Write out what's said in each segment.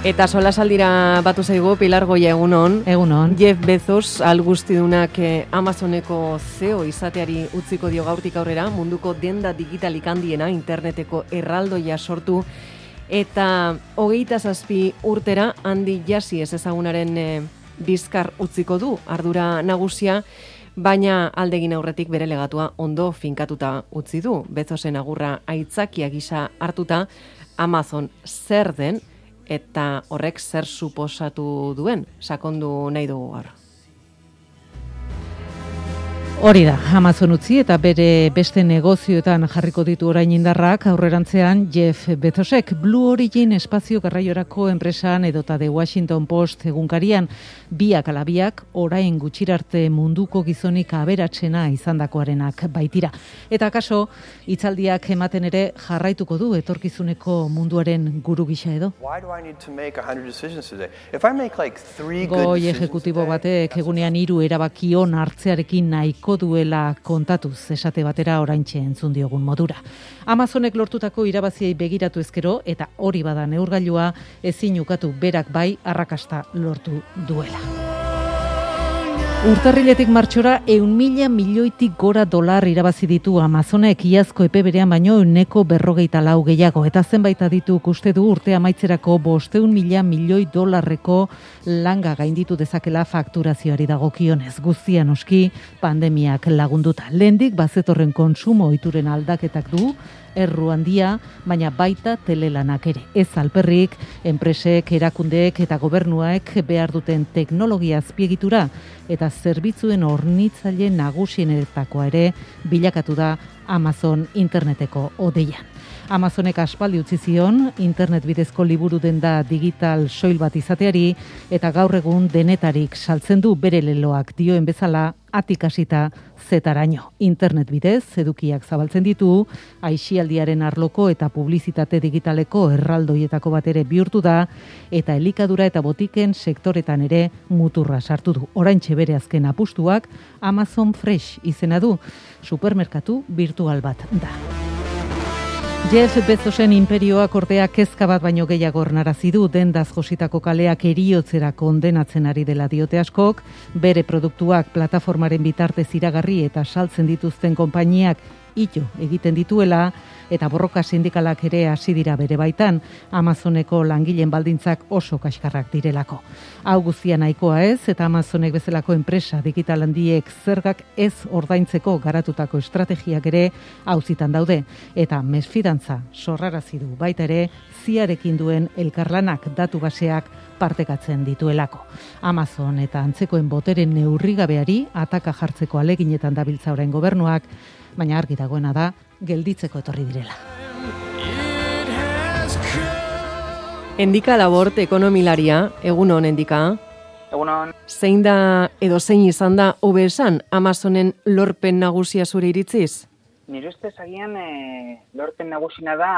Eta solasaldira batu zaigu Pilar Goia, egunon. Egunon. Jeff Bezos alguztidunak Amazoneko CEO izateari utziko dio gaurtik aurrera, munduko denda digitalik handiena interneteko erraldoia sortu eta 27 urtera handi jasi ez ezagunaren bizkar utziko du ardura nagusia, baina aldegin aurretik bere legatua ondo finkatuta utzi du. Bezosen agurra aitzakia gisa hartuta Amazon zer den eta horrek zer suposatu duen, sakondu nahi dugu gaur. Hori da, Amazon utzi eta bere beste negozioetan jarriko ditu orain indarrak, aurrerantzean Jeff Bezosek Blue Origin espazio garraiorako enpresan edota The Washington Post egunkarian biak ala biak orain gutxirarte munduko gizonik aberatsena izandakoarenak baitira. Eta kaso, hitzaldiak ematen ere jarraituko du etorkizuneko munduaren guru gisa edo. Goi ejekutibo batek egunean 3 erabaki on hartzearekin nahiko duela kontatuz esate batera oraintxe entzun diogun modura. Amazonek lortutako irabaziei begiratu ezkero eta hori bada neurgailua ezin ukatu berak bai arrakasta lortu duela. Urtarriletik martxora 100.000 milioitik gora dolar irabazi ditu Amazonek iazko epe berean baino 154 gehiago eta zenbait adituk uste du urte amaitzerako 500.000 milioi dolarreko langa gainditu dezakela fakturazioari dagokionez. Guztia noski pandemiak lagunduta. Lehendik bazetorren kontsumo ohituren aldaketak du erru handia, baina baita telelanak ere. Ez alperrik, enpresek, erakundeek eta gobernuak behar duten teknologia azpiegitura eta zerbitzuen hornitzaile nagusienetakoa ere bilakatu da Amazon interneteko odeian. Amazonek aspaldi utzi zion internet bidezko liburu denda digital soil bat izateari eta gaur egun denetarik saltzen du bere leloak dioen bezala atik hasita zetaraino. Internet bidez edukiak zabaltzen ditu, aisialdiaren arloko eta publizitate digitaleko erraldoietako bat ere bihurtu da eta elikadura eta botiken sektoretan ere muturra sartu du. Oraintxe bere azken apustuak Amazon Fresh izena du, supermerkatu virtual bat da. Jeff Bezosen imperioak ordea kezka bat baino gehiago ornarazi du dendaz jositako kaleak eriotzera kondenatzen ari dela diote askok, bere produktuak plataformaren bitartez iragarri eta saltzen dituzten konpainiak ito egiten dituela eta borroka sindikalak ere hasi dira bere baitan, Amazoneko langileen baldintzak oso kaskarrak direlako. Hau guztia nahikoa ez eta Amazonek bezalako enpresa digital handiek zergak ez ordaintzeko garatutako estrategiak ere auzitan daude eta mesfidantza sorrarazi du baita ere ziarekin duen elkarlanak datu baseak partekatzen dituelako. Amazon eta antzekoen boteren neurrigabeari ataka jartzeko aleginetan dabiltza orain gobernuak, baina argi dagoena da gelditzeko etorri direla. Endika Labort ekonomilaria, egunon Endika. Egunon. Zein da edo zein izan da hobe esan Amazonen lorpen nagusia zure iritziz? Nire ustez agian lorpen nagusina da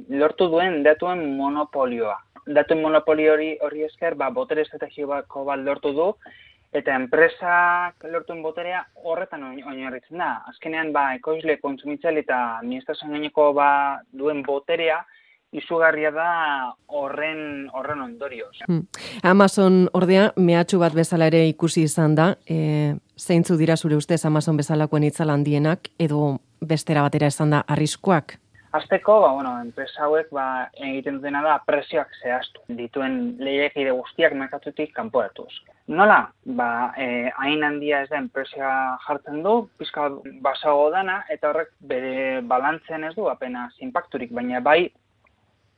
lortu duen datuen monopolioa. Datuen monopolio hori esker botere estrategiko bat lortu du eta enpresak lortuen boterea horretan oinarritzen da. Azkenean ekoizle, kontsumitzaile eta administrazioan gaineko duen boterea izugarria da horren ondorioz. Amazon ordea mehatxu bat bezala ere ikusi izan da, zeintzu dira zure ustez Amazon bezalakoen itzal handienak edo bestera batera izan da arriskuak? Azteko, enpresa hauek egiten dutena da prezioak zehaztu, dituen lehiakide guztiak merkatutik kanporatuz. Nola? Hain handia ez da enpresa jartzen du, pizka basago dana, eta horrek bere balantzean ez du apenas inpakturik, baina bai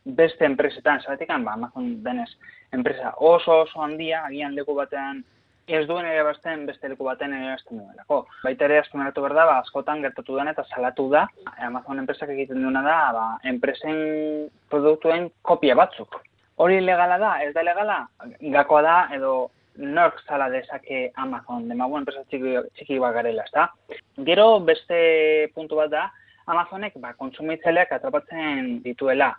beste enpresetan, zergatik Amazon denez enpresa oso handia, agian leku batean ez duen ere bazten beste leku batean ere bazten duelako. Baita ere azpimarratu behar da, askotan gertatu den eta salatu da, Amazon enpresak egiten duena da, enpresen produktuen kopia batzuk. Hori legala da, ez da legala, gakoa da edo nork zala dezake Amazon, enpresa txiki bat garela, ezta? Gero beste puntu bat da, Amazonek kontsumitzaileak atrapatzen dituela.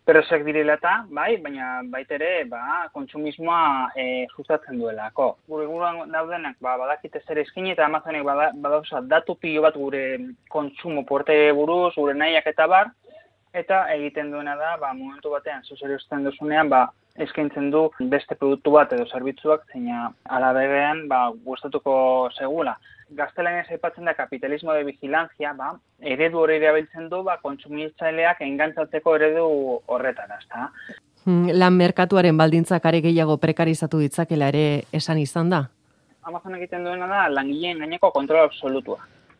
Prezioak direla eta, baina baita ere kontsumismoa sustatzen duelako. Gure inguruan daudenak badakite zer eskaini eta Amazonek badauza datu pilo bat gure kontsumo porte buruz, gure nahiak eta bar, eta egiten duena da, momentu batean zuzeruzten duzunean, eskaintzen du beste produktu bat edo zerbitzuak, zeina alaberean gustatuko segula. Gaztelaniaz aipatzen da kapitalismo de vigilancia, eredu hori erabiltzen du, kontsumitzaileak engantzatzeko eredu horretan, ezta. Lan merkatuaren baldintzak are gehiago prekarizatu ditzakela ere esan izan da? Amazon egiten duena da langileen gaineko kontrol absolutua.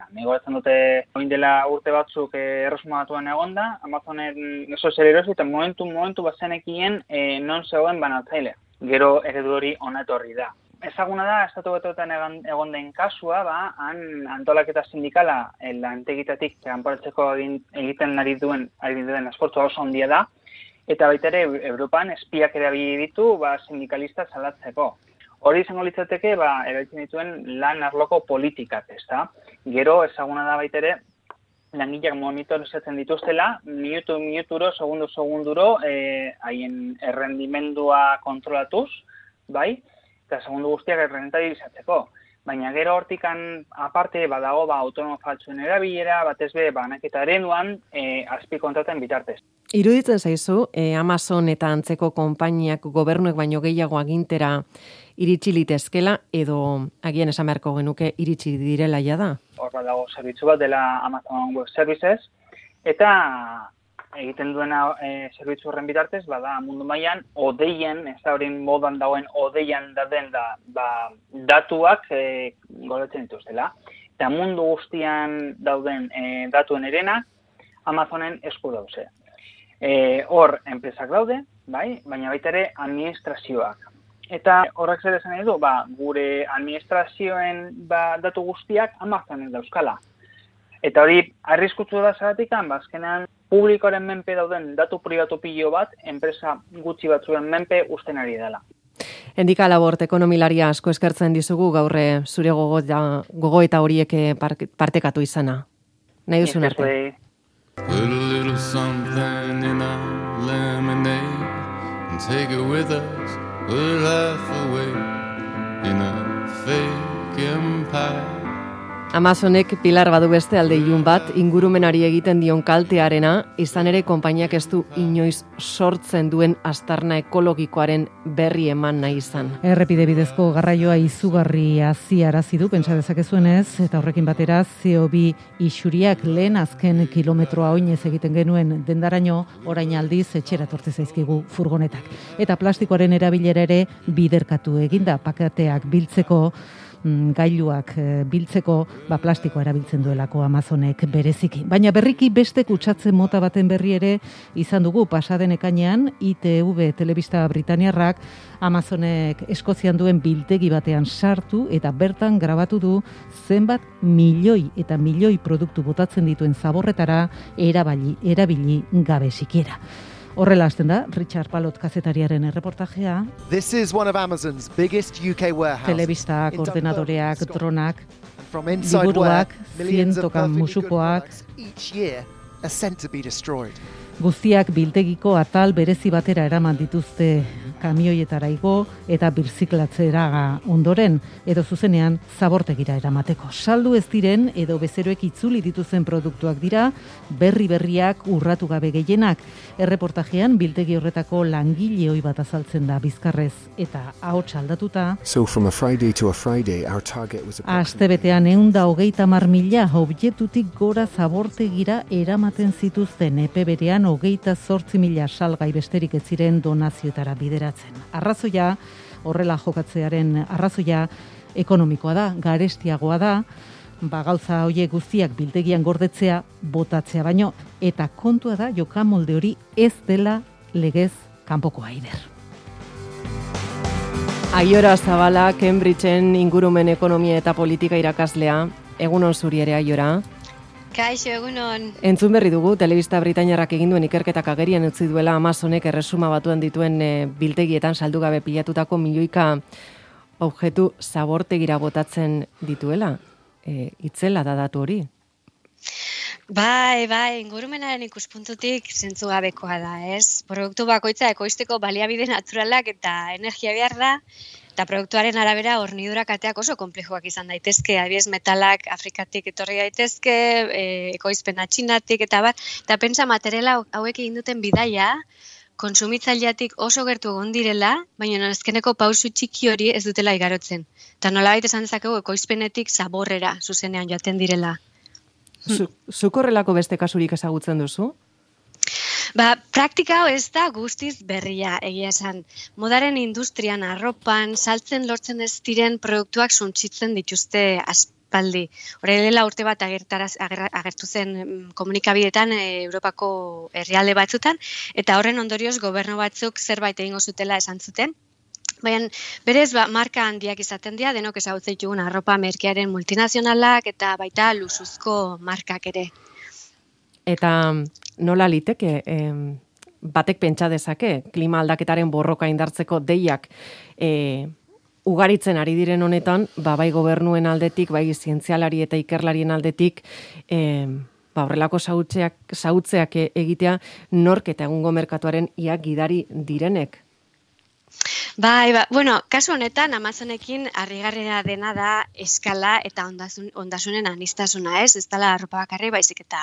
Gogoratzen dute, oin dela urte batzuk erresuma batuan egonda, Amazonen oso zer erosi eta momentu bazenekien non zegoen banatzailea. Gero eredu hori ona etorri da. Ezaguna da, Estatu Batuetan egon den kasua, han antolaketa sindikala lantegitatik kanporatzeko egiten ari duen esfortzua oso handia da, eta baita ere Europan espiak erabili ditu sindikalista salatzeko. Hori izango litzateke, erabiltzen dituen lan arloko politikak, ezta? Gero, ezaguna da baita ere, langileak monitorizatzen dituztela, minuturo, segunduro, haien errendimendua kontrolatuz, eta segundu guztiak errentabilizatzeko. Baina gero hortikan aparte badago autonomo faltsuen erabilera, batez be banaketa ereduan azpikontraten bitartez. Iruditzen zaizu, Amazon eta antzeko konpainiak gobernuek baino gehiago agintera iritsi litezkela edo agian esan beharko genuke iritsi direla jada? Hor badago zerbitzu bat dela Amazon Web Services eta egiten duena zerbitzu horren bitartez, mundu mailan odeian, ez da hori modan dagoen odeian daden datuak gordetzen dituztela. Eta mundu guztian dauden datuen erenak Amazonen esku dauze. Hor enpresak daude, baina baita ere administrazioak. Eta horrek zer esan nahi du, gure administrazioen datu guztiak Amazonen dauzkala. Eta hori arriskutsu da zeratik, azkenean publikoaren menpe dauden datu pribatu pilo bat, enpresa gutxi batzuen menpe usten ari dela. Endika Labort, ekonomilaria asko eskertzen dizugu gaurre zure gogo eta horiek partekatu izana. Nahi duzun arte. Put a little something in a lemonade and take it with us, we'll laugh away in a fake empire. Amazonek pilar badu beste alde ilun bat, ingurumenari egiten dion kaltearena, izan ere konpainiak ez du inoiz sortzen duen aztarna ekologikoaren berri eman nahi izan. Errepide bidezko garraioa izugarri haziarazi du, pentsa dezakezuenez, eta horrekin batera CO2 isuriak lehen azken kilometroa oinez egiten genuen dendaraino, orain aldiz etxera tortze zaizkigu furgonetak. Eta plastikoaren erabilera ere biderkatu eginda, paketeak biltzeko, gailuak biltzeko plastikoa erabiltzen duelako Amazonek bereziki. Baina berriki beste kutsatze mota baten berri ere izan dugu pasaden ekainean ITV telebista britaniarrak Amazonek Eskozian duen biltegi batean sartu eta bertan grabatu du zenbat milioi produktu botatzen dituen zaborretara erabili gabe sikiera. Horrela hasten da, Richard Palot kazetariaren erreportajea. This is one of Amazon's biggest UK warehouses. Telebistak, ordenadoreak, dronak, liburuak, zientoka musukoak, each year are sent to be destroyed. Guztiak biltegiko atal berezi batera eraman dituzte kamioietara igo eta birziklatzera ondoren edo zuzenean zabortegira eramateko. Saldu ez diren edo bezeroek itzuli dituzten produktuak dira, berriak urratu gabe gehienak. Erreportajean biltegi horretako langile ohi bat azaltzen da bizkarrez eta ahots aldatuta. So from a Friday to a Friday, our target was Astebetean 130.000 objektutik gora zabortegira eramaten zituzten epe berean 28.000 salgai besterik ez ziren donazioetara bideratzen. Arrazoia, horrela jokatzearen arrazoia ekonomikoa da, garestiagoa da, gauza horiek guztiak biltegian gordetzea, botatzea baino, eta kontua da jokamolde hori ez dela legez kanpokoa aider. Aiora Zabala, Cambridgeen ingurumen ekonomia eta politika irakaslea, egunon zuri ere Aiora. Kaixo, egunon. Entzun berri dugu, telebista britainiarrak egin duen ikerketak agerian utzi duela Amazonek erresuma batuan dituen biltegietan saldu gabe pilatutako milioika objektu zabortegira botatzen dituela. Itzela da datu hori? Bai, ingurumenaren ikuspuntutik zentzugabekoa da, ez? Produktu bakoitza ekoizteko baliabide naturalak eta energia behar da, Eta produktuaren arabera hornidura kateak oso konplexuak izan daitezke, adibidez metalak Afrikatik etorri daitezke, ekoizpena Txinatik eta bar, eta pentsa materiala hauek egin duten bidaia, kontsumitzaileatik oso gertu egon direla, baina azkeneko pausu txiki hori ez dutela igarotzen. Eta nolabait esan dezakegu ekoizpenetik zaborrera zuzenean joaten direla. Zuk horrelako beste kasurik ezagutzen duzu? Praktika hau ez da guztiz berria, egia esan. Modaren industrian, arropan, saltzen lortzen ez diren produktuak suntsitzen dituzte aspaldi. Horrela urte bat agertu zen komunikabideetan Europako herrialde batzutan, eta horren ondorioz gobernu batzuk zerbait egingo zutela esan zuten. Baina berez marka handiak izaten dira, denok ezagutzen ditugun arropa merkearen multinazionalak eta baita luxuzko markak ere. Eta nola liteke, batek pentsa dezake, klima aldaketaren borroka indartzeko deiak ugaritzen ari diren honetan, bai gobernuen aldetik, bai zientzialari eta ikerlarien aldetik, horrelako zautzeak egitea nork eta egungo merkatuaren ia gidari direnek. Kasu honetan Amazonekin harrigarria dena da eskala eta ondasunen aniztasuna, ez dela arropa bakarrik, baizik eta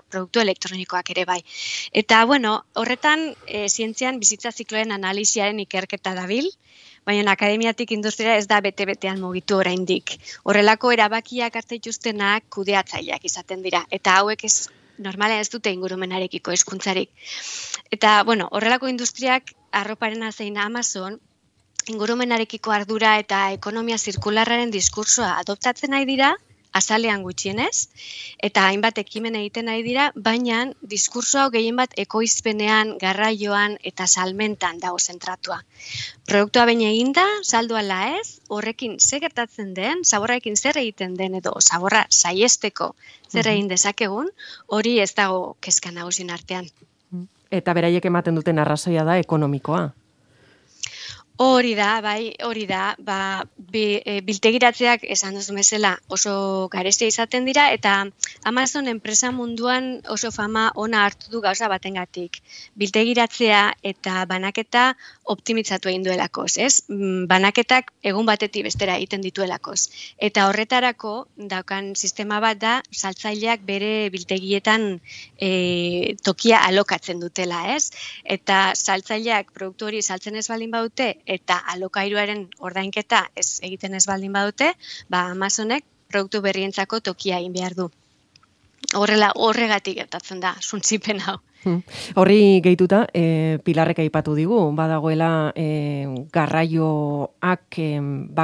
produktu elektronikoak ere bai. Eta, horretan zientzian bizitza zikloen analisiaren ikerketa dabil, baina akademiatik industria ez da bete-betean mugitu oraindik. Horrelako erabakiak hartu dituztenak kudeatzaileak izaten dira, eta hauek normalean ez dute ingurumenarekiko hezkuntzarik. Eta, horrelako industriak arroparena zein Amazon, ingurumenarekiko ardura eta ekonomia zirkularraren diskursoa adoptatzen nahi dira, azalean gutxienez, eta hainbat ekimen egiten nahi dira, baina diskursoa gehien bat ekoizpenean, garraioan eta salmentan dago zentratua. Produktua baina eginda, saldu ala ez, horrekin zer gertatzen den, zaborrarekin zer egiten den edo zaborra saiesteko zer egin dezakegun, hori ez dago kezka nagusien artean. Eta beraiek ematen duten arrazoia da ekonomikoa. Hori da, biltegiratzeak esan duzu bezala oso garestia izaten dira, eta Amazon enpresa munduan oso fama ona hartu du gauza batengatik. Biltegiratzea eta banaketa optimitzatu egin duelakoz, ez? Banaketak egun batetik bestera egiten dituelakoz. Eta horretarako daukan sistema bat da, saltzaileak bere biltegietan tokia alokatzen dutela, ez? Eta saltzaileak produktu hori saltzen ez baldin badute, eta alokairuaren ordainketa ez egiten ez baldin badute, Amazonek produktu berrientzako tokia egin behar du. Horregatik gertatzen da, suntsipen hau. Horri gehituta, Pilarrek aipatu digu, badagoela garraioak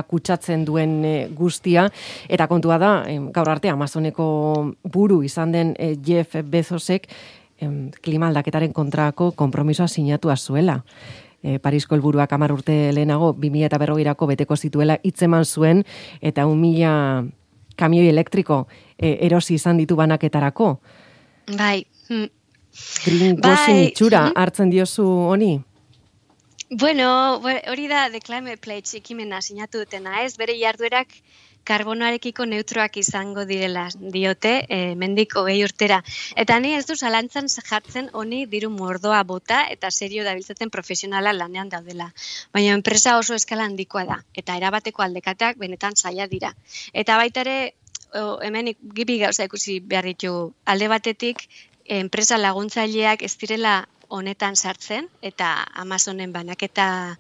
kutsatzen duen guztia, eta kontua da, gaur arte Amazoneko buru izan den Jeff Bezosek klima aldaketaren kontrako konpromisoa sinatua zuela. Parisko helburuak 10 urte lehenago 2040rako beteko zituela hitzeman zuen, eta 1.000 kamioi elektriko erosi izan ditu banaketarako. Bai. Greenwashing itxura hartzen diozu honi? Hori da The Climate Pledge ekimena sinatu dutena, ez? Bere jarduerak karbonoarekiko neutroak izango direla diote, mendik 20 urtera. Eta ni ez du zalantzan jartzen honi diru mordoa bota eta serio dabiltzaten profesionala lanean daudela. Baina enpresa oso eskala handikoa da, eta erabateko aldekateak benetan zaila dira. Eta baita ere, hemen gibi gauza ikusi behar ditu, alde batetik, enpresa laguntzaileak ez direla honetan sartzen, eta Amazonen banaketa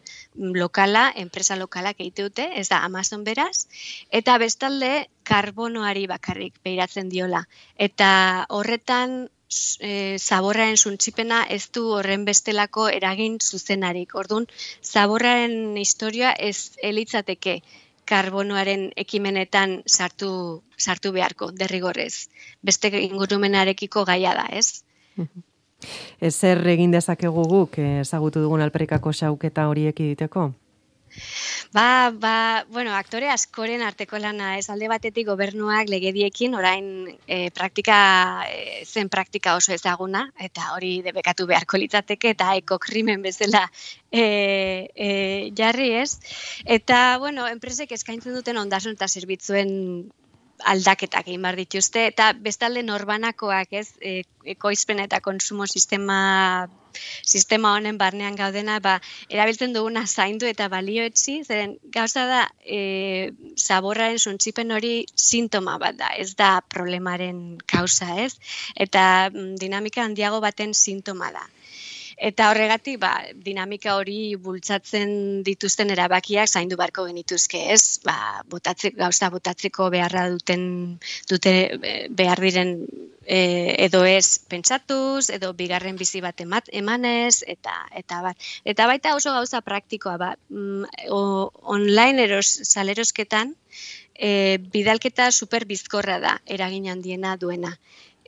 lokala, enpresa lokalak egite dute, ez da Amazon beraz, eta bestalde karbonoari bakarrik behiratzen diola. Eta horretan zaborraren suntsipena ez du horren bestelako eragin zuzenarik. Orduan, zaborraren historia ez elitzateke karbonoaren ekimenetan sartu beharko, derrigorrez. Beste ingurumenarekiko gaia da, ez? Zer egin dezakegu guk ezagutu dugun alperrikako xauketa horiek egiteko? Aktore askoren arteko lana, ez alde batetik gobernuak legediekin, orain zen praktika oso ezaguna, eta hori debekatu beharko litzateke, eta ekokrimen bezala jarri ez. Eta, enpresek eskaintzen duten ondasun eta zerbitzuen aldaketak egin behar dituzte, eta bestalde norbanakoak, ez, ekoizpen eta konsumo sistema honen barnean gaudena, erabiltzen duguna zaindu eta balioetzi, zeren gauza da, zaborraren suntsipen hori sintoma bat da, ez da problemaren kausa, ez? Eta dinamika handiago baten sintoma da. Eta horregatik, dinamika hori bultzatzen dituzten erabakiak zaindu beharko genituzke, ez? Gauza botatzeko beharra dute behar diren edo ez pentsatuz, edo bigarren bizi bat emanez, eta bat. Eta baita oso gauza praktikoa, online salerosketan, bidalketa super bizkorra da, eragin handiena duena.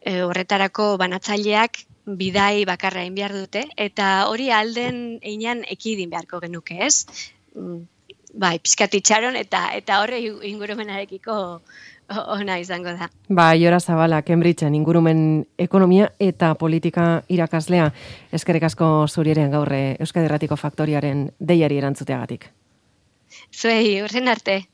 Horretarako banatzaileak bidai bakarra egin behar dute, eta hori alden einan ekidin beharko genuke, ez? Pixkat itxaron, eta horre ingurumenarekiko ona izango da. Jora Zabala, Cambridgeen ingurumen ekonomia eta politika irakaslea. Eskerrik asko zuri ere gaur Euskadi Irratiko Faktoriaren deiari erantzuteagatik. Zuei, horren arte.